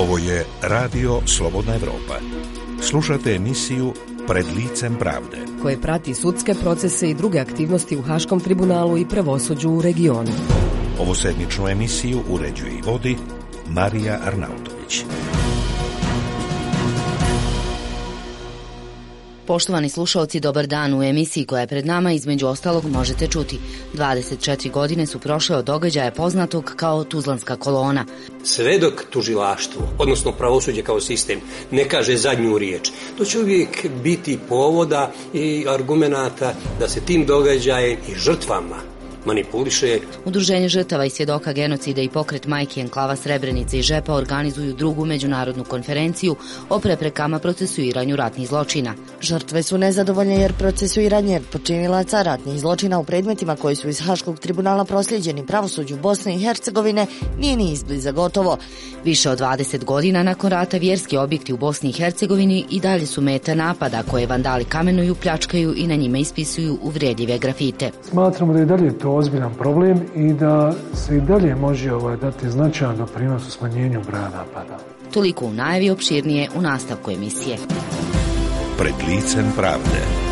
Ovo je Radio Slobodna Evropa. Slušate emisiju Pred licem pravde, koje prati sudske procese i druge aktivnosti u Haškom tribunalu i pravosuđu u regionu. Ovu sedmičnu emisiju uređuje i vodi Marija Arnautović. Poštovani slušalci, dobar dan. U emisiji koja je pred nama između ostalog možete čuti 24 godine su prošle od događaja poznatog kao Tuzlanska kolona. Sve dok tužilaštvo, odnosno pravosuđe kao sistem, ne kaže zadnju riječ, to će uvijek biti povoda i argumenata da se tim događajem i žrtvama manipuliše. Udruženje žrtava i svjedoka genocida i pokret Majki Enklava Srebrenice i Žepa organizuju drugu međunarodnu konferenciju o preprekama procesuiranju ratnih zločina. Žrtve su nezadovoljne jer procesuiranje počinilaca ratnih zločina u predmetima koji su iz Haškog tribunala proslijeđeni pravosuđu Bosne i Hercegovine nije ni izbliza gotovo. Više od 20 godina nakon rata vjerski objekti u Bosni i Hercegovini i dalje su meta napada koje vandali kamenuju, pljačkaju i na njima ispisuju uvredljive grafite. Smatramo da je dalje to ozbiljan problem i da se i dalje može dati značajan doprinos u smanjenju broja napada. Toliko u najavi, opširnije u nastavku emisije. Pred licem pravde.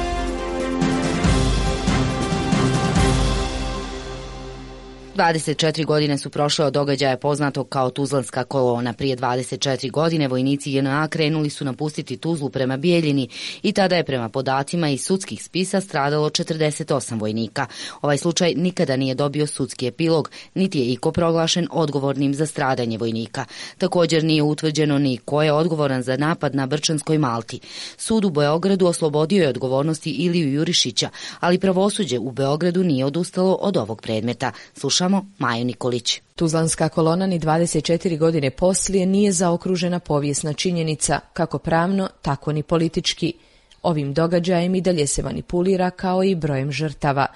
...24 godine su prošle od događaja poznatog kao Tuzlanska kolona. Prije 24 godine vojnici JNA krenuli su napustiti Tuzlu prema Bijeljini i tada je prema podacima iz sudskih spisa stradalo 48 vojnika. Ovaj slučaj nikada nije dobio sudski epilog, niti je iko proglašen odgovornim za stradanje vojnika. Također nije utvrđeno ni ko je odgovoran za napad na Brčanskoj Malti. Sud u Beogradu oslobodio je odgovornosti Iliju Jurišića, ali pravosuđe u Beogradu nije odustalo od ovog predmeta. Slušamo Maju Nikolić. Tuzlanska kolona ni 24 godine poslije nije zaokružena povijesna činjenica, kako pravno, tako ni politički. Ovim događajem i dalje se manipulira kao i brojem žrtava.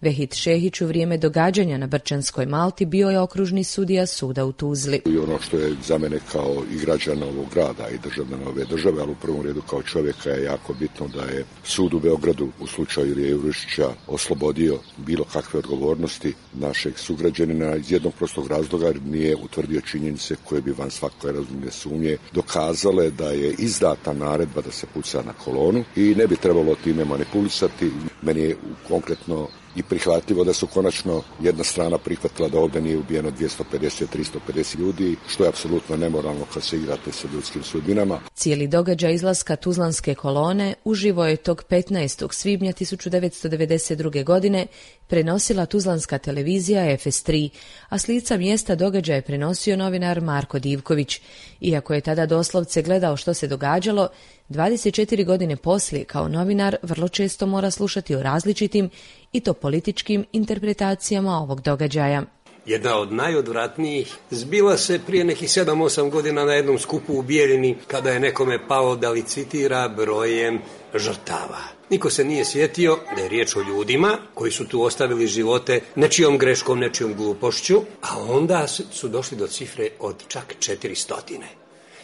Vehid Šehić u vrijeme događanja na Brčanskoj Malti bio je okružni sudija suda u Tuzli. I ono što je za mene kao i građana ovog grada i državljana ove države, ali u prvom redu kao čovjeka je jako bitno da je sud u Beogradu u slučaju Ilije Jurišića oslobodio bilo kakve odgovornosti našeg sugrađanina iz jednog prostog razloga jer nije utvrdio činjenice koje bi van svake razumne sumnje dokazale da je izdata naredba da se puca na kolonu i ne bi trebalo time manipulisati. Meni je konkretno i prihvatljivo da su konačno jedna strana prihvatila da ovdje nije ubijeno 250-350 ljudi, što je apsolutno nemoralno kad se igrate sa ljudskim sudbinama. Cijeli događaj izlaska Tuzlanske kolone uživo je tog 15. svibnja 1992. godine prenosila tuzlanska televizija FS3, a s lica mjesta događaja je prenosio novinar Marko Divković. Iako je tada doslovce gledao što se događalo, 24 godine poslije kao novinar vrlo često mora slušati o različitim i to političkim interpretacijama ovog događaja. Jedna od najodvratnijih zbila se prije nekih 7-8 godina na jednom skupu u Bijeljini kada je nekome palo da licitira brojem žrtava. Niko se nije sjetio da je riječ o ljudima koji su tu ostavili živote nečijom greškom, nečijom glupošću, a onda su došli do cifre od čak 400.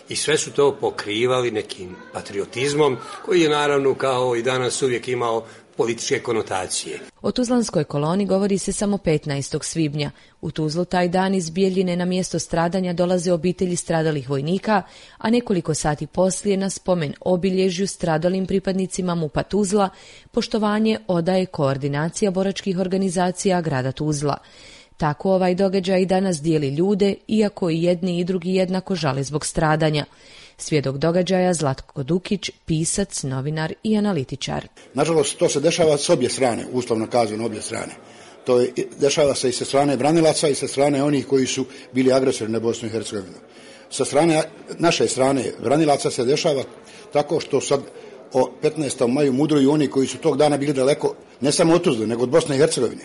I sve su to pokrivali nekim patriotizmom koji je naravno kao i danas uvijek imao političke konotacije. O Tuzlanskoj koloni govori se samo 15. svibnja. U Tuzlu taj dan iz Bijeljine na mjesto stradanja dolaze obitelji stradalih vojnika, a nekoliko sati poslije na spomen obilježju stradalim pripadnicima MUP-a Tuzla poštovanje odaje koordinacija boračkih organizacija grada Tuzla. Tako ovaj događaj danas dijeli ljude, iako i jedni i drugi jednako žale zbog stradanja. Svjedok događaja Zlatko Dukić, pisac, novinar i analitičar. Nažalost, to se dešava s obje strane, uslovno kazano obje strane. To je, dešava se i sa strane branilaca i sa strane onih koji su bili agresori na Bosnu i Hercegovinu. Sa strane, naše strane branilaca se dešava tako što sad o 15. maju mudruju oni koji su tog dana bili daleko, ne samo od Tuzle, nego od Bosne i Hercegovine.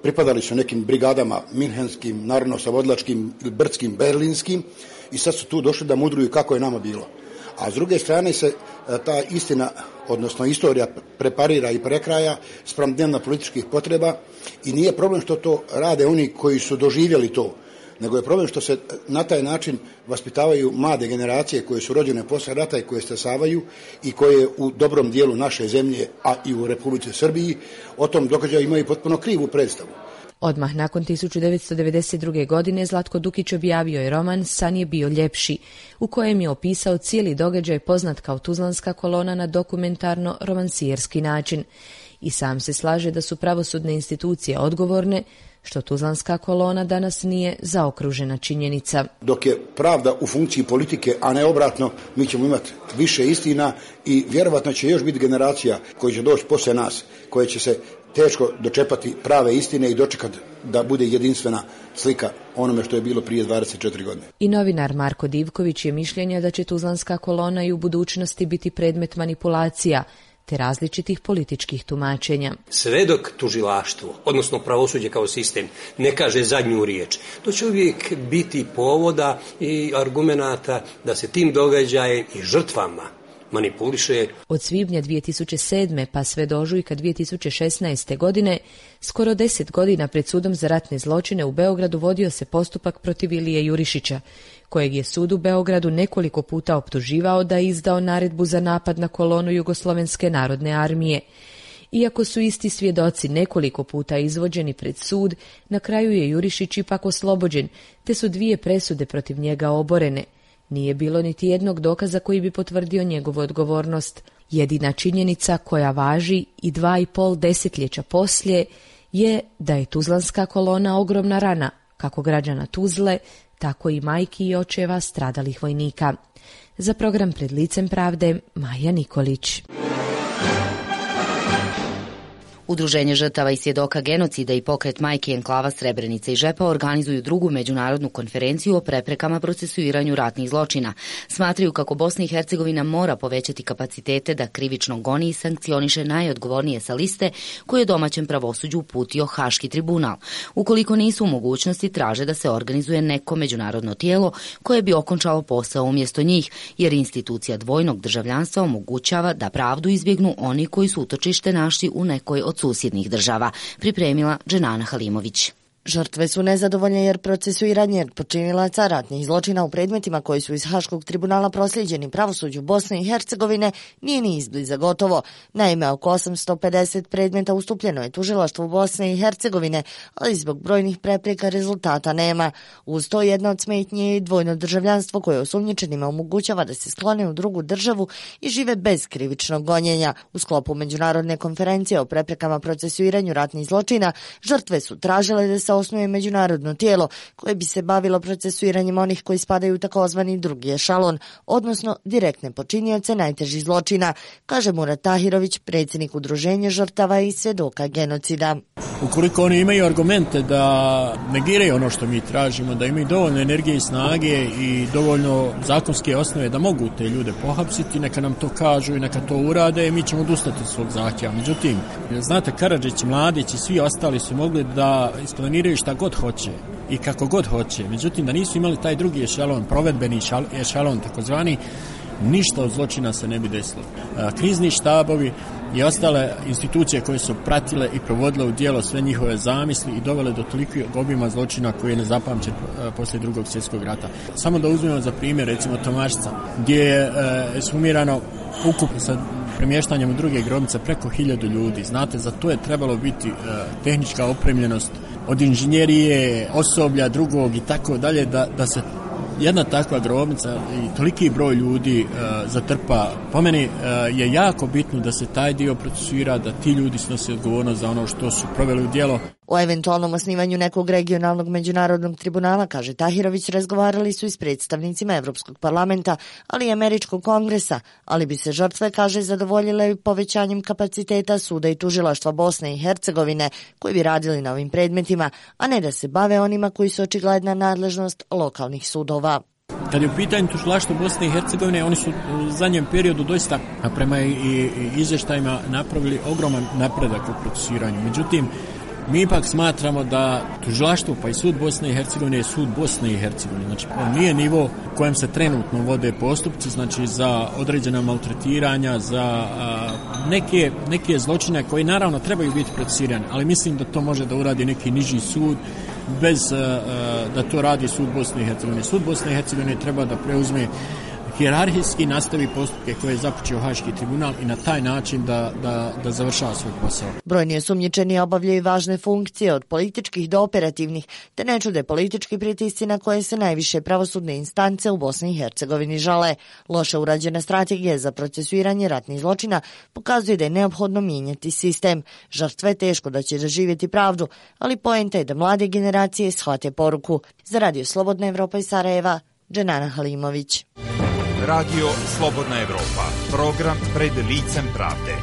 Pripadali su nekim brigadama minhenskim, narodno-savodilačkim, brdskim, berlinskim i sad su tu došli da mudruju kako je nama bilo. A s druge strane se ta istina, odnosno istorija preparira i prekraja spram dnevno političkih potreba i nije problem što to rade oni koji su doživjeli to, nego je problem što se na taj način vaspitavaju mlade generacije koje su rođene posle rata i koje stasavaju i koje u dobrom dijelu naše zemlje, a i u Republici Srbiji, o tom događaju imaju potpuno krivu predstavu. Odmah nakon 1992. godine Zlatko Dukić objavio je roman San je bio ljepši, u kojem je opisao cijeli događaj poznat kao Tuzlanska kolona na dokumentarno-romansijerski način. I sam se slaže da su pravosudne institucije odgovorne što Tuzlanska kolona danas nije zaokružena činjenica. Dok je pravda u funkciji politike, a ne obratno, mi ćemo imati više istina i vjerovatno će još biti generacija koji će doći poslije nas, koje će se teško dočepati prave istine i dočekati da bude jedinstvena slika onome što je bilo prije 24 godine. I novinar Marko Divković je mišljenja da će Tuzlanska kolona i u budućnosti biti predmet manipulacija te različitih političkih tumačenja. Sve dok tužilaštvo, odnosno pravosuđe kao sistem, ne kaže zadnju riječ, to će uvijek biti povoda i argumenata da se tim događajem i žrtvama manipuliše. Od svibnja 2007. pa sve do ožujka 2016. godine, skoro 10 godina pred sudom za ratne zločine u Beogradu vodio se postupak protiv Ilije Jurišića, kojeg je sud u Beogradu nekoliko puta optuživao da je izdao naredbu za napad na kolonu Jugoslovenske narodne armije. Iako su isti svjedoci nekoliko puta izvođeni pred sud, na kraju je Jurišić ipak oslobođen, te su 2 presude protiv njega oborene. Nije bilo niti jednog dokaza koji bi potvrdio njegovu odgovornost. Jedina činjenica koja važi i 2,5 desetljeća poslije je da je Tuzlanska kolona ogromna rana, kako građana Tuzle, tako i majki i očeva stradalih vojnika. Za program Pred licem pravde, Maja Nikolić. Udruženje žrtava i svjedoka genocida i pokret Majki enklava Srebrenica i Žepa organizuju drugu međunarodnu konferenciju o preprekama procesuiranju ratnih zločina. Smatraju kako Bosna i Hercegovina mora povećati kapacitete da krivično goni i sankcioniše najodgovornije sa liste koje je domaćem pravosuđu uputio Haški tribunal. Ukoliko nisu u mogućnosti, traže da se organizuje neko međunarodno tijelo koje bi okončalo posao umjesto njih, jer institucija dvojnog državljanstva omogućava da pravdu izbjegnu oni koji su utočište našli u nekoj od susjednih država, pripremila Dženana Halimović. Žrtve su nezadovoljne jer procesuiranje počinilaca ratnih zločina u predmetima koji su iz Haškog tribunala proslijeđeni pravosuđu Bosne i Hercegovine nije ni izbliza gotovo. Naime, oko 850 predmeta ustupljeno je tužilaštvu Bosne i Hercegovine, ali zbog brojnih prepreka rezultata nema. Uz to jedna od smetnji je i dvojno državljanstvo koje osumnjičenima omogućava da se sklone u drugu državu i žive bez krivičnog gonjenja. U sklopu međunarodne konferencije o preprekama procesuiranju ratnih zločina, žrtve su tražile da se osnuje međunarodno tijelo koje bi se bavilo procesuiranjem onih koji spadaju u takozvani drugi ešalon, odnosno direktne počinioce najtežih zločina, kaže Murat Tahirović, predsjednik Udruženja žrtava i svjedoka genocida. Ukoliko oni imaju argumente da negiraju ono što mi tražimo, da imaju dovoljno energije i snage i dovoljno zakonske osnove da mogu te ljude pohapsiti, neka nam to kažu i neka to urade i mi ćemo odustati od svog zahtjeva. Međutim, znate, Karadžić, Mladić i svi ostali su mogli da isplaniraju šta god hoće i kako god hoće. Međutim, da nisu imali taj drugi ešalon, provedbeni ešalon takozvani, ništa od zločina se ne bi desilo. Krizni štabovi i ostale institucije koje su pratile i provodile u djelo sve njihove zamisli i dovele do tolikog obima zločina koji je nezapamćen poslije Drugog svjetskog rata. Samo da uzmemo za primjer recimo Tomašca, gdje je ekshumirano ukupno sa premještanjem u druge grobnice preko 1000 ljudi. Znate, za to je trebalo biti tehnička opremljenost od inženjerije, osoblja drugog i tako dalje, da se jedna takva grobnica i toliki broj ljudi zatrpa. Po meni je jako bitno da se taj dio procesuira, da ti ljudi snose odgovornost za ono što su proveli u djelo. O eventualnom osnivanju nekog regionalnog međunarodnog tribunala, kaže Tahirović, razgovarali su i s predstavnicima Evropskog parlamenta, ali i Američkog kongresa, ali bi se žrtve, kaže, zadovoljile povećanjem kapaciteta suda i tužilaštva Bosne i Hercegovine koji bi radili na ovim predmetima, a ne da se bave onima koji su očigledna nadležnost lokalnih sudova. Kad je u pitanju tužilaštvo Bosne i Hercegovine, oni su u zadnjem periodu doista, prema i izvještajima, napravili ogroman napredak u procesuiranju. Međutim, mi ipak smatramo da tužilaštvo pa i sud Bosne i Hercegovine je sud Bosne i Hercegovine. Znači, on nije nivo u kojem se trenutno vode postupci, znači za određena maltretiranja, za neke zločine koji naravno trebaju biti procesuirani, ali mislim da to može da uradi neki niži sud bez da to radi sud Bosne i Hercegovine. Sud Bosne i Hercegovine treba da preuzme hijerarhijski nastavi postupke koje je započeo Haški tribunal i na taj način da završava svoj posao. Brojni osumnjičeni obavljaju važne funkcije od političkih do operativnih, te ne čude politički pritisci na koje se najviše pravosudne instance u Bosni i Hercegovini žale. Loše urađena strategija za procesuiranje ratnih zločina pokazuje da je neophodno mijenjati sistem. Žrtve teško da će doživjeti pravdu, ali poenta je da mlade generacije shvate poruku. Za Radio Slobodna Evropa iz Sarajeva, Dženana Halimović. Radio Slobodna Evropa, program pred licem pravde.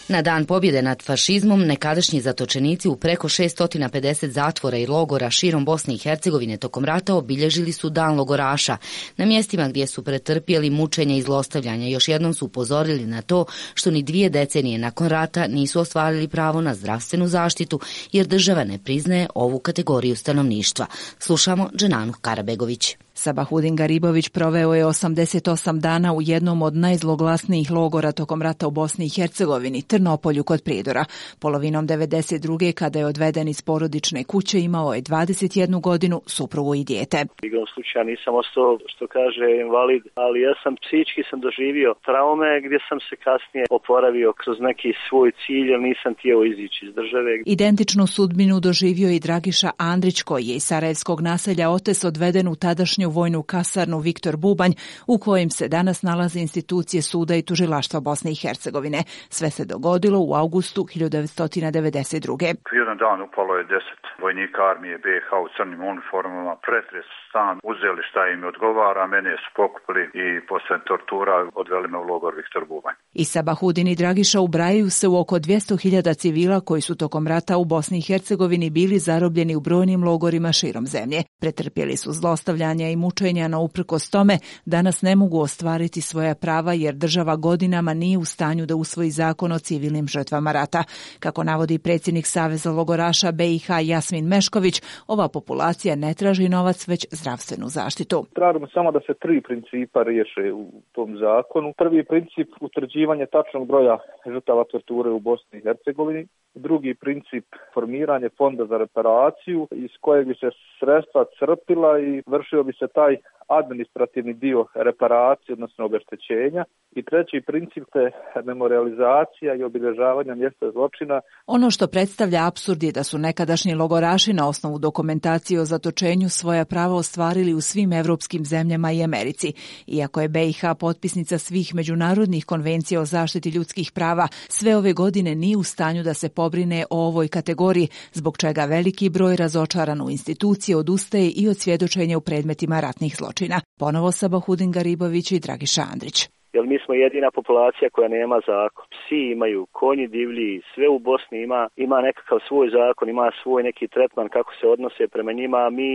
Na dan pobjede nad fašizmom nekadašnji zatočenici u preko 650 zatvora i logora širom Bosne i Hercegovine tokom rata obilježili su Dan logoraša. Na mjestima gdje su pretrpjeli mučenje i zlostavljanja još jednom su upozorili na to što ni 2 decenije nakon rata nisu ostvarili pravo na zdravstvenu zaštitu jer država ne priznaje ovu kategoriju stanovništva. Slušamo Dženanu Karabegović. Sabahudin Garibović proveo je 88 dana u jednom od najzloglasnijih logora tokom rata u Bosni i Hercegovini, Trnopolju kod Prijedora. Polovinom 92. kada je odveden iz porodične kuće, imao je 21 godinu, suprugu i dijete. Igrom slučaja nisam ostao, što kaže, invalid, ali ja sam psihički doživio traume gdje sam se kasnije oporavio kroz neki svoj cilj, jer nisam htio izići iz države. Identičnu sudbinu doživio i Dragiša Andrić, koji je iz sarajevskog naselja Otes odveden u tadašnju vojnu kasarnu Viktor Bubanj, u kojem se danas nalaze institucije suda i tužilaštva Bosne i Hercegovine. Sve se dogodilo u augustu 1992. Jedan dan upalo je 10 vojnika armije BiH u crnim uniformama, pretres stan, uzeli šta im odgovara, mene su pokupili i posle tortura odveli me u logor Viktor Bubanj. I Sabahudin i Dragiša ubrajaju se u oko 200.000 civila koji su tokom rata u Bosni i Hercegovini bili zarobljeni u brojnim logorima širom zemlje. Pretrpjeli su zlostavljanja i mučenja, no uprkos tome danas ne mogu ostvariti svoja prava jer država godinama nije u stanju da usvoji zakon o civilnim žrtvama rata. Kako navodi predsjednik Saveza logoraša BiH Jasmin Mešković, ova populacija ne traži novac, već zdravstvenu zaštitu. Tražimo samo da se 3 principa riješe u tom zakonu. Prvi princip utvrđivanje tačnog broja žrtava torture u Bosni i Hercegovini. Drugi princip formiranje fonda za reparaciju iz kojeg bi se sredstva crpila i vršio bi se taj administrativni dio reparacije, odnosno obeštećenja. I treći princip je memorializacija i obilježavanja mjesta zločina. Ono što predstavlja apsurd je da su nekadašnji logoraši na osnovu dokumentacije o zatočenju svoja prava ostvarili u svim evropskim zemljama i Americi. Iako je BiH potpisnica svih međunarodnih konvencija o zaštiti ljudskih prava, sve ove godine nije u stanju da se pobrine o ovoj kategoriji, zbog čega veliki broj razočaran u institucije odustaje i od svjedočenja u predmetima ratnih zločina. Ponovo Sabahudin Garibović i Dragiša Andrić. Jer mi smo jedina populacija koja nema zakon. Psi imaju, konji divlji, sve u Bosni ima nekakav svoj zakon, ima svoj neki tretman kako se odnose prema njima, a mi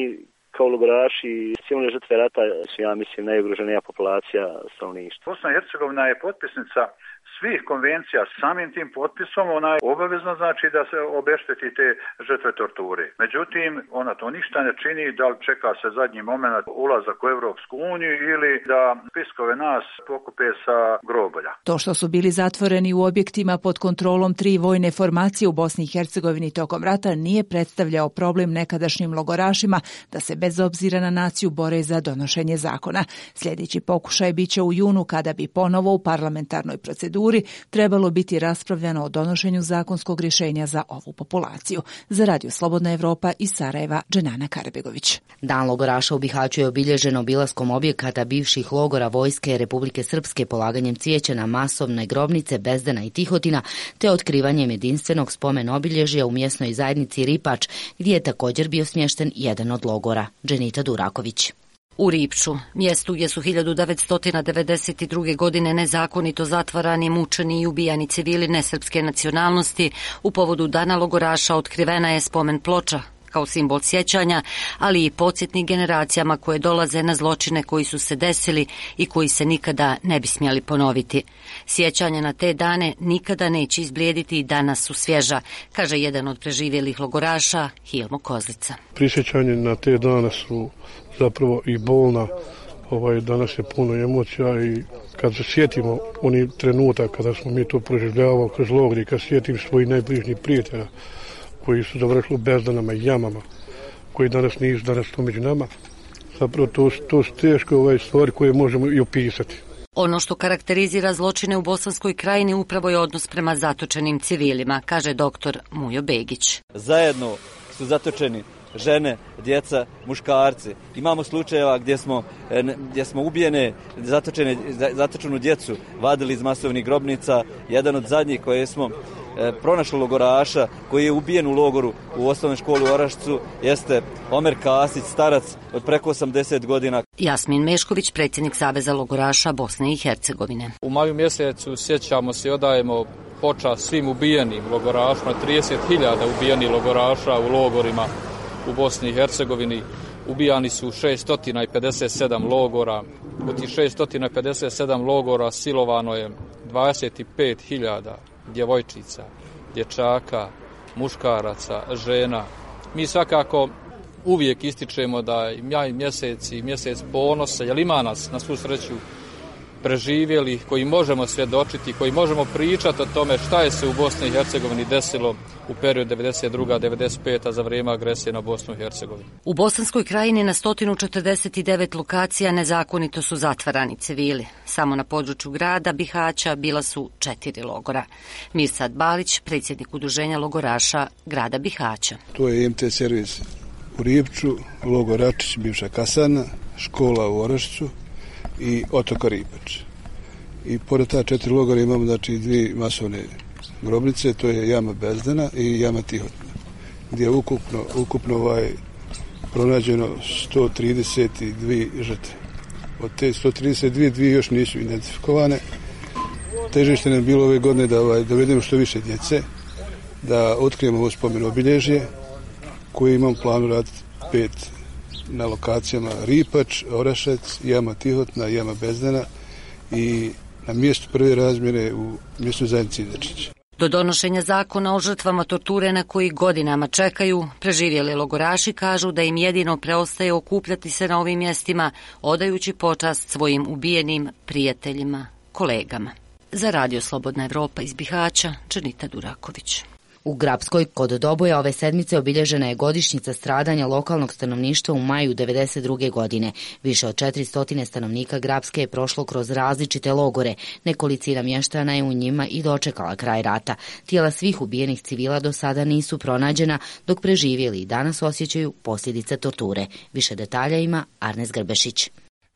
kao logoraši i civilne žrtve rata su, ja mislim, najugroženija populacija stanovništva. Bosna i Hercegovina je potpisnica svih konvencija, samim tim potpisom ona je obavezna, znači, da se obešteti te žrtve torture. Međutim, ona to ništa ne čini, da li čeka se zadnji moment ulazak u Evropsku uniju ili da spiskove nas pokupe sa grobolja. To što su bili zatvoreni u objektima pod kontrolom 3 vojne formacije u Bosni i Hercegovini tokom rata nije predstavljao problem nekadašnjim logorašima da se bez obzira na naciju bore za donošenje zakona. Sljedeći pokušaj biće u junu kada bi ponovo u parlamentarnoj proceduri trebalo biti raspravljano o donošenju zakonskog rješenja za ovu populaciju. Za Radio Slobodna Evropa iz Sarajeva, Dženana Karabegović. Dan logoraša u Bihaću je obilježen obilaskom objekata bivših logora Vojske Republike Srpske, polaganjem cvijeća na masovne grobnice Bezdana i Tihotina, te otkrivanjem jedinstvenog spomen obilježja u mjesnoj zajednici Ripač, gdje je također bio smješten jedan od logora. Dženita Duraković. U Ripču, mjestu gdje su 1992. godine nezakonito zatvarani, mučeni i ubijani civili nesrpske nacionalnosti, u povodu Dana logoraša otkrivena je spomen ploča kao simbol sjećanja, ali i podsjetnik generacijama koje dolaze na zločine koji su se desili i koji se nikada ne bi smjeli ponoviti. Sjećanja na te dane nikada neće izblijediti i danas su svježa, kaže jedan od preživjelih logoraša, Hilmo Kozlica. Prisjećanje na te dane su zapravo i bolna. Danas je puno emocija i kad se sjetimo oni trenutak kada smo mi to proživljavali kroz logor i kad sjetim svojih najbližnjih prijatelja koji su završili u bezdanama i jamama, koji danas nisu danas tu među nama, Zapravo to su teško stvari koje možemo i opisati. Ono što karakterizira zločine u Bosanskoj krajini upravo je odnos prema zatočenim civilima, kaže doktor Mujo Begić. Zajedno su zatočeni žene, djeca, muškarci. Imamo slučajeva gdje smo ubijene, zatočenu djecu vadili iz masovnih grobnica. Jedan od zadnjih koje smo pronašli logoraša koji je ubijen u logoru u osnovnoj školi u Orašcu jeste Omer Kasić, starac od preko 80 godina. Jasmin Mešković, predsjednik Saveza logoraša Bosne i Hercegovine. U maju mjesecu sjećamo se i odajemo počast svim ubijenim logorašima, 30.000 ubijenih logoraša u logorima u Bosni i Hercegovini. Ubijani su 657 logora. U tih 657 logora silovano je 25.000 djevojčica, dječaka, muškaraca, žena. Mi svakako uvijek ističemo da je maj mjesec i mjesec ponosa, jer ima nas na svu sreću preživjeli, koji možemo svjedočiti, koji možemo pričati o tome šta je se u Bosni i Hercegovini desilo u periodu 92-95 za vrijeme agresije na Bosnu i Hercegovinu. U Bosanskoj krajini na 149 lokacija nezakonito su zatvarani civili. Samo na području grada Bihaća bila su 4 logora. Mirsad Balić, predsjednik udruženja logoraša grada Bihaća. To je MT servis u Ripču, logor Račić, bivša kasarna, škola u Orašcu i otoka Ripač. I pored ta 4 logora imamo znači 2 masovne grobnice, to je jama Bezdana i jama Tihotna, gdje je ukupno pronađeno 132 žrtve. Od te 132, 2 još nisu identifikovane. Težište nam je bilo ove godine da dovedemo što više djece, da otkrijemo ovo spomen obilježje koje imamo planu raditi 5 na lokacijama Ripač, Orašac, jama Tihotna, jama Bezdana i na mjestu prve razmjere u mjestu zajednici Idečić. Do donošenja zakona o žrtvama torture na koji godinama čekaju, preživjeli logoraši kažu da im jedino preostaje okupljati se na ovim mjestima, odajući počast svojim ubijenim prijateljima, kolegama. Za Radio Slobodna Evropa iz Bihaća, Dženita Duraković. U Grapskoj kod Doboja ove sedmice obilježena je godišnjica stradanja lokalnog stanovništva u maju 1992. godine. Više od 400 stanovnika Grapske je prošlo kroz različite logore. Nekolicina mještana je u njima i dočekala kraj rata. Tijela svih ubijenih civila do sada nisu pronađena, dok preživjeli i danas osjećaju posljedice torture. Više detalja ima Arnes Grbešić.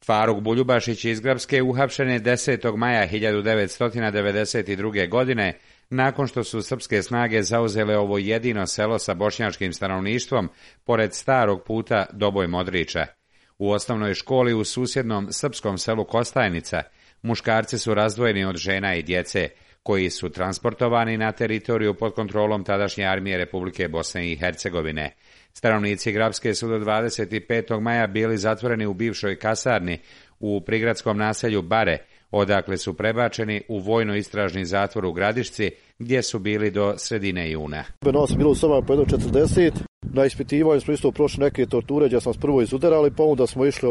Faruk Buljubašić iz Grapske uhapšen je 10. maja 1992. godine nakon što su srpske snage zauzele ovo jedino selo sa bošnjačkim stanovništvom pored starog puta Doboj-Modrića. U osnovnoj školi u susjednom srpskom selu Kostajnica muškarci su razdvojeni od žena i djece, koji su transportovani na teritoriju pod kontrolom tadašnje armije Republike Bosne i Hercegovine. Stanovnici Grapske su do 25. maja bili zatvoreni u bivšoj kasarni u prigradskom naselju Bare, odakle su prebačeni u vojno-istražni zatvor u Gradišci, gdje su bili do sredine juna. Nas je bilo u Srbiji po 1.40. Na ispitivanju smo isto prošli neke torture gdje smo prvo izudarali, pa onda smo išli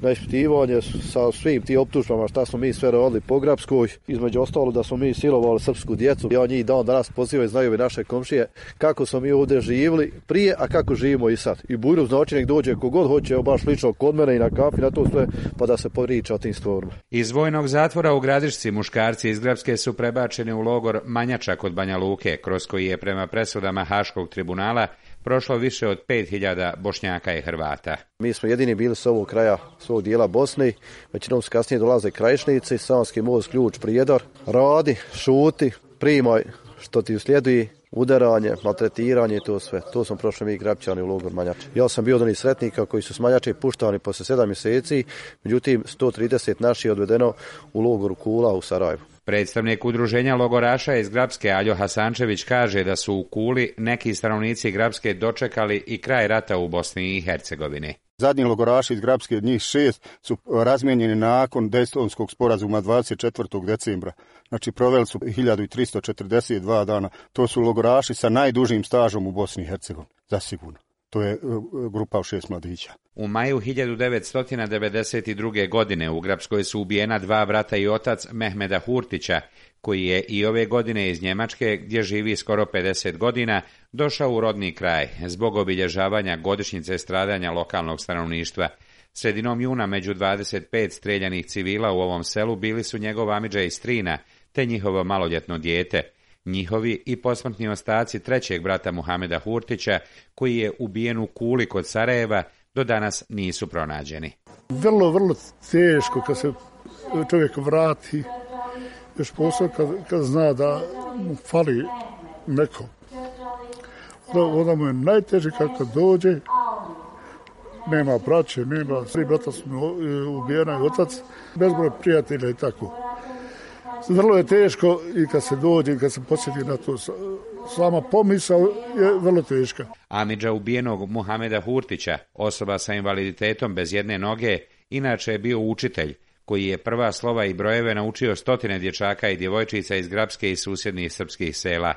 na ispitivanje sa svim tim optužbama šta smo mi sve radili po Grapskoj. Između ostalo da smo mi silovali srpsku djecu. Ja njih dan danas pozivaju, znaju i naše komšije kako smo mi ovdje živjeli prije, a kako živimo i sad. I Bujru znači nek dođe kogod hoće, baš lično kod mene i na kafi, na to sve, pa da se priča o tim stvarima. Iz vojnog zatvora u Gradišci muškarci iz Grapske su prebačeni u logor Manjača kod Banja Luke, kroz koji je prema presudama Haškog tribunala prošlo više od 5.000 Bošnjaka i Hrvata. Mi smo jedini bili s ovog kraja svog dijela Bosne, većinom se kasnije dolaze krajišnici, Savski most, Ključ, Prijedor, radi, šuti, primaj što ti uslijedi, udaranje, maltretiranje i to sve. To smo prošli mi Grapčani u logor Manjače. Ja sam bio od onih sretnika koji su s Manjače puštani posle 7 mjeseci, međutim 130 naših odvedeno u logoru Kula u Sarajevu. Predstavnik udruženja logoraša iz Grapske Aljo Hasančević kaže da su u Kuli neki stanovnici Grapske dočekali i kraj rata u Bosni i Hercegovini. Zadnji logoraši iz Grapske, od njih 6, su razmijenjeni nakon Dejtonskog sporazuma 24. decembra. Znači proveli su 1342 dana. To su logoraši sa najdužim stažom u Bosni i Hercegovini, zasigurno. To je grupa od 6 mladića. U maju 1992. godine u Grapskoj su ubijena 2 brata i otac Mehmeda Hurtića, koji je i ove godine iz Njemačke, gdje živi skoro 50 godina, došao u rodni kraj zbog obilježavanja godišnjice stradanja lokalnog stanovništva. Sredinom juna među 25 streljanih civila u ovom selu bili su njegov amidža i strina, te njihovo maloljetno dijete. Njihovi i posmrtni ostaci trećeg brata Muhameda Hurtića, koji je ubijen u Kuli kod Sarajeva, do danas nisu pronađeni. Vrlo teško kad se čovjek vrati, još posao kad zna da mu fali neko. Onda mu je najteže kako dođe, nema braće, nema, 3 brata su ubijena i otac, bezbroj prijatelja i tako. Vrlo je teško i kad se dođe i kad se podsjeti na to, sama pomisao je vrlo teška. Amidža ubijenog Muhameda Hurtića, osoba sa invaliditetom bez jedne noge, inače je bio učitelj, koji je prva slova i brojeve naučio stotine dječaka i djevojčica iz Grapske i susjednih srpskih sela.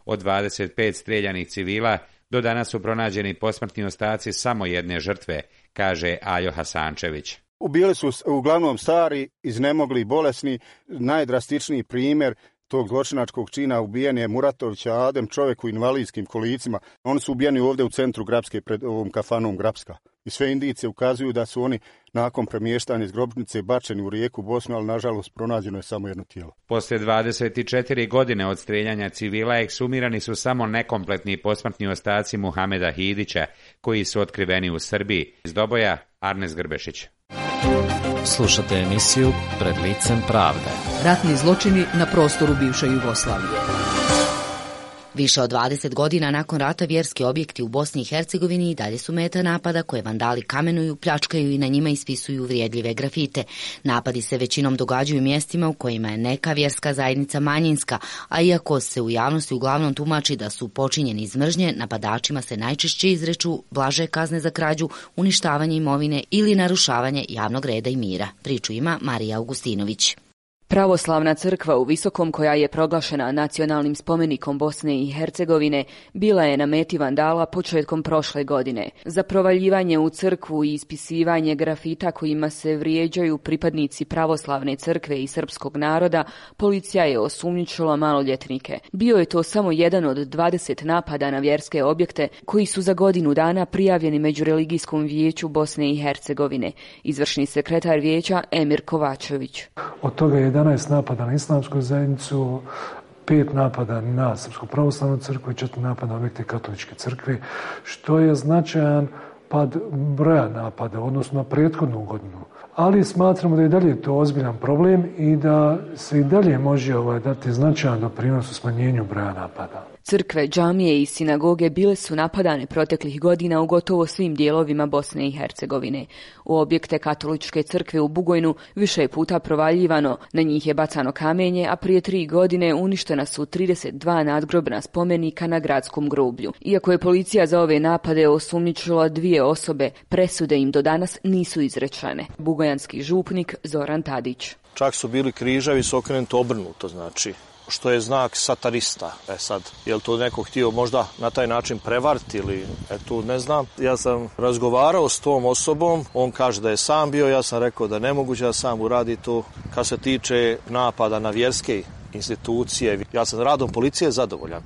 Od 25 streljanih civila do danas su pronađeni posmrtni ostaci samo jedne žrtve, kaže Aljo Hasančević. Ubijali su uglavnom stari, iznemogli, bolesni. Najdrastičniji primjer tog zločinačkog čina ubijen je Muratovića Adem, čovjek u invalidskim kolicima. Oni su ubijeni ovdje u centru Grapske pred ovom kafanom Grapska. I sve indicije ukazuju da su oni nakon premještanja iz grobnice bačeni u rijeku Bosnu, ali nažalost pronađeno je samo jedno tijelo. Poslije 24 godine od streljanja civila eksumirani su samo nekompletni posmrtni ostaci Muhameda Hidića, koji su otkriveni u Srbiji. Iz Doboja, Arnes Grbešić. Slušate emisiju Pred licem pravde. Ratni zločini na prostoru bivše Jugoslavije. Više od 20 godina nakon rata vjerski objekti u Bosni i Hercegovini i dalje su meta napada koje vandali kamenuju, pljačkaju i na njima ispisuju vrijedljive grafite. Napadi se većinom događaju u mjestima u kojima je neka vjerska zajednica manjinska, a iako se u javnosti uglavnom tumači da su počinjeni iz mržnje, napadačima se najčešće izreču blaže kazne za krađu, uništavanje imovine ili narušavanje javnog reda i mira. Priču ima Marija Augustinović. Pravoslavna crkva u Visokom, koja je proglašena nacionalnim spomenikom Bosne i Hercegovine, bila je na meti vandala početkom prošle godine. Za provaljivanje u crkvu i ispisivanje grafita kojima se vrijeđaju pripadnici pravoslavne crkve i srpskog naroda, policija je osumnjičila maloljetnike. Bio je to samo jedan od 20 napada na vjerske objekte koji su za godinu dana prijavljeni Međureligijskom vijeću Bosne i Hercegovine. Izvršni sekretar vijeća Emir Kovačević. Od toga je 11 napada na islamsku zajednicu, 5 napada na Srpsku pravoslavnu crkvu i 4 napada na objekte katoličke crkve, što je značajan pad broja napada, odnosno na prethodnu godinu. Ali smatramo da je dalje to ozbiljan problem i da se i dalje može dati značajan doprinos u smanjenju broja napada. Crkve, džamije i sinagoge bile su napadane proteklih godina u gotovo svim dijelovima Bosne i Hercegovine. U objekte katoličke crkve u Bugojnu više je puta provaljivano, na njih je bacano kamenje, a prije 3 godine uništena su 32 nadgrobna spomenika na gradskom groblju. Iako je policija za ove napade osumnjičila 2 osobe, presude im do danas nisu izrečene. Bugojanski župnik Zoran Tadić. Čak su bili križevi s okrenuto obrnuto, znači što je znak satanista. Sad, je li to neko htio možda na taj način prevariti ili tu ne znam. Ja sam razgovarao s tom osobom, on kaže da je sam bio, ja sam rekao da nemoguće da sam uradi to. Kad se tiče napada na vjerske institucije, ja sam radom policije zadovoljan,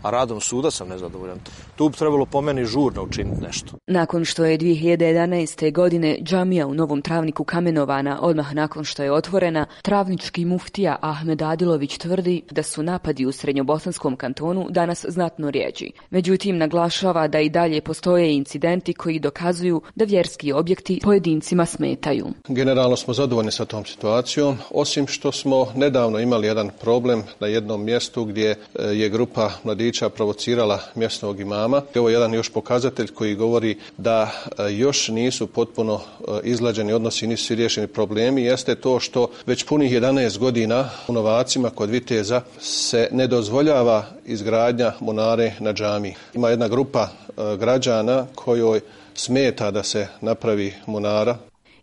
a radom suda sam nezadovoljan. Tu bi trebalo po meni žurno učiniti nešto. Nakon što je 2011. godine džamija u Novom Travniku kamenovana odmah nakon što je otvorena, travnički muftija Ahmed Adilović tvrdi da su napadi u Srednjobosanskom kantonu danas znatno rijeđi. Međutim, naglašava da i dalje postoje incidenti koji dokazuju da vjerski objekti pojedincima smetaju. Generalno smo zadovoljni sa tom situacijom, osim što smo nedavno imali jedan problem na jednom mjestu gdje je grupa mladića provocirala mjesnog imama. Ovo je jedan još pokazatelj koji govori da još nisu potpuno izlađeni odnosi, nisu riješeni problemi. Jeste to što već punih 11 godina u Novacima kod Viteza se ne dozvoljava izgradnja munare na džamiji. Ima jedna grupa građana kojoj smeta da se napravi munara.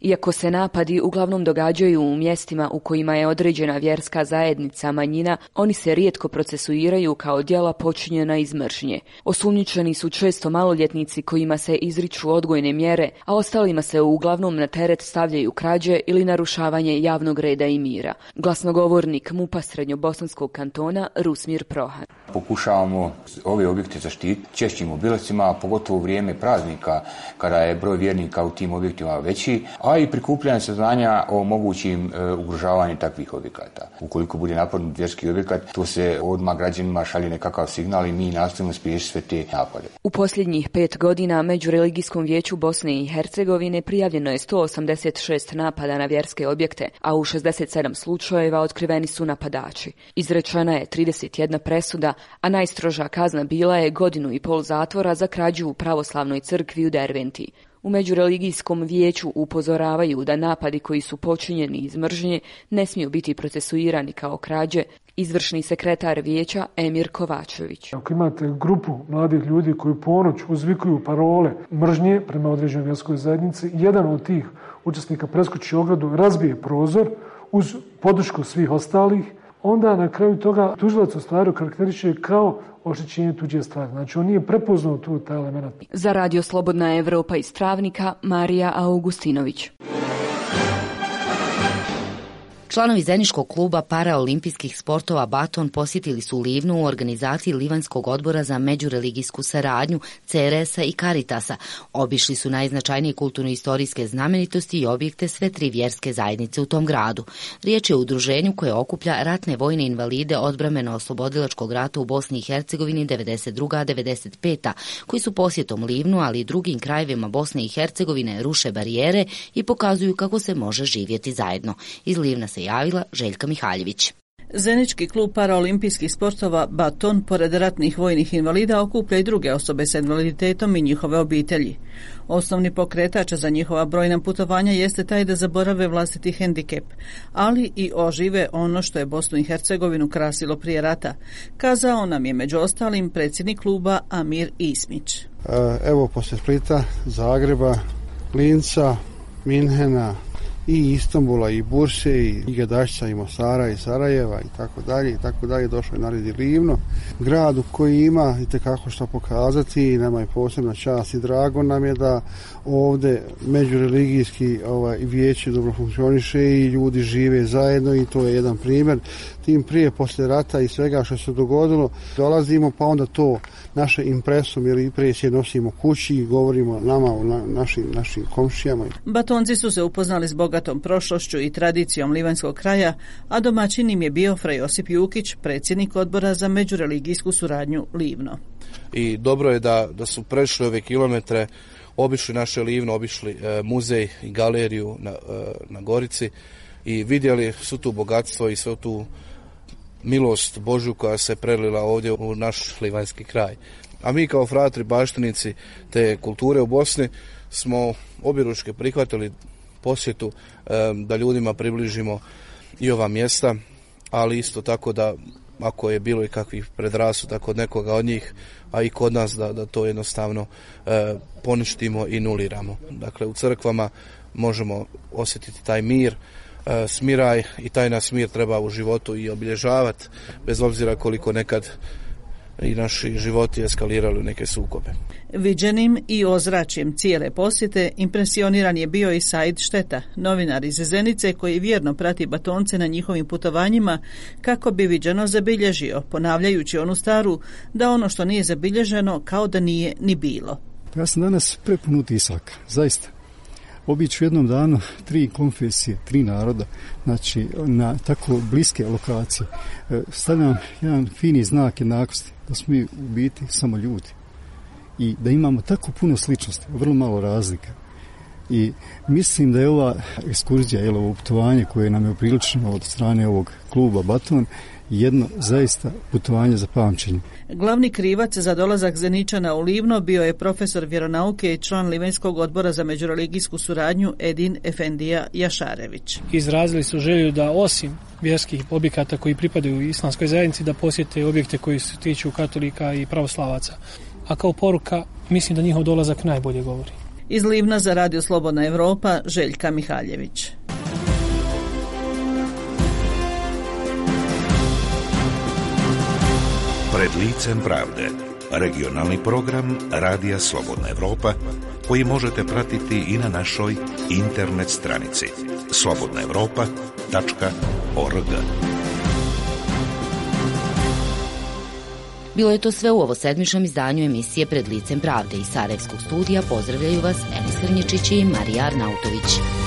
Iako se napadi uglavnom događaju u mjestima u kojima je određena vjerska zajednica manjina, oni se rijetko procesuiraju kao djela počinjena iz mržnje. Osumnjičeni su često maloljetnici kojima se izriču odgojne mjere, a ostalima se uglavnom na teret stavljaju krađe ili narušavanje javnog reda i mira. Glasnogovornik MUP-a Srednjobosanskog kantona Rusmir Prohan. Pokušavamo ove objekte zaštititi češćim obilascima, pogotovo u vrijeme praznika kada je broj vjernika u tim objektima veći, a i prikupljanje saznanja o mogućim ugrožavanju takvih objekata. Ukoliko bude napadnut vjerski objekat, to se odmah građanima šalje nekakav signal i mi nastojimo spriječiti sve te napade. U posljednjih 5 godina Međureligijskom vijeću Bosne i Hercegovine prijavljeno je 186 napada na vjerske objekte, a u 67 slučajeva otkriveni su napadači. Izrečena je 31 presuda, a najstroža kazna bila je 1,5 godine zatvora za krađu u pravoslavnoj crkvi u Derventi. U Međureligijskom vijeću upozoravaju da napadi koji su počinjeni iz mržnje ne smiju biti procesuirani kao krađe. Izvršni sekretar vijeća Emir Kovačević. Ako imate grupu mladih ljudi koji ponoć uzvikuju parole mržnje prema određenoj vjerskoj zajednici, jedan od tih učesnika preskoči ogradu, razbije prozor uz podršku svih ostalih, onda na kraju toga tužilac u stvari karakteriše kao oštećenje tuđe stvari. Znači, on nije prepoznao tu taj element. Za Radio Slobodna Evropa iz Travnika, Marija Augustinović. Članovi Zeničkog kluba paraolimpijskih sportova Baton posjetili su Livnu u organizaciji Livanskog odbora za međureligijsku saradnju, CRS-a i Caritasa. Obišli su najznačajnije kulturno-istorijske znamenitosti i objekte sve 3 vjerske zajednice u tom gradu. Riječ je o udruženju koje okuplja ratne vojne invalide odbrambeno-oslobodilačkog rata u Bosni i Hercegovini 92-95, koji su posjetom Livnu, ali i drugim krajevima Bosne i Hercegovine ruše barijere i pokazuju kako se može živjeti zajedno. Iz Livna se javila Željka Mihaljević. Zenički klub paraolimpijskih sportova Baton, pored ratnih vojnih invalida, okuplja i druge osobe sa invaliditetom i njihove obitelji. Osnovni pokretač za njihova brojna putovanja jeste taj da zaborave vlastiti hendikep, ali i ožive ono što je Bosnu i Hercegovinu krasilo prije rata, kazao nam je među ostalim predsjednik kluba Amir Ismić. Evo, poslije Splita, Zagreba, Linca, Minhena, i Istanbula, i Burse, i Gadašca, i Mosara, i Sarajeva, i tako dalje, došlo je na red i Livno, gradu koji ima itekako što pokazati i nama je posebna čast i drago nam je da ovdje međureligijski vijeće dobro funkcioniše i ljudi žive zajedno i to je jedan primjer. Tim prije, poslije rata i svega što se dogodilo, dolazimo pa onda to naše impresom ili impresije nosimo kući i govorimo nama o našim komšijama. Batonci su se upoznali s bogatom prošlošću i tradicijom livanskog kraja, a domaćin im je bio Fra Josip Jukić, predsjednik odbora za međureligijsku suradnju Livno. I dobro je da su prešli ove kilometre, obišli naše Livno, obišli muzej i galeriju na Gorici i vidjeli svu tu bogatstvo i svu tu milost Božju koja se prelila ovdje u naš livanjski kraj. A mi kao fratri baštinici te kulture u Bosni smo objeručke prihvatili posjetu da ljudima približimo i ova mjesta, ali isto tako da ako je bilo i kakvih predrasuda kod nekoga od njih, a i kod nas da to jednostavno poništimo i nuliramo. Dakle, u crkvama možemo osjetiti taj mir, smiraj i taj nas mir treba u životu i obilježavati, bez obzira koliko nekad i naši životi eskalirali u neke sukobe. Viđenim i ozračjem cijele posjete impresioniran je bio i Said Šteta, novinar iz Zenice koji vjerno prati Batonce na njihovim putovanjima kako bi viđeno zabilježio, ponavljajući onu staru da ono što nije zabilježeno kao da nije ni bilo. Ja sam danas prepun utisaka, zaista. Obići u jednom danu 3 konfesije, 3 naroda, znači na tako bliske lokacije. Stavljam jedan fini znak jednakosti, da smo mi u biti samo ljudi i da imamo tako puno sličnosti, vrlo malo razlika. I mislim da je ova ekskurzija, ovo putovanje koje nam je upriličeno od strane ovog kluba Baton, jedno zaista putovanje za pamćenje. Glavni krivac za dolazak Zeničana u Livno bio je profesor vjeronauke i član Livanjskog odbora za međureligijsku suradnju Edin Efendija Jašarević. Izrazili su želju da osim vjerskih objekata koji pripadaju islamskoj zajednici da posjete objekte koji se tiču katolika i pravoslavaca. A kao poruka mislim da njihov dolazak najbolje govori. Iz Livna za Radio Slobodna Evropa, Željka Mihaljević. Pred licem pravde, regionalni program Radija Slobodna Evropa, koji možete pratiti i na našoj internet stranici slobodnaevropa.org. Bilo je to sve u ovo sedmičnom izdanju emisije Pred licem pravde. Iz Sarajevskog studija pozdravljaju vas Enis Krnječić i Marija Arnautović.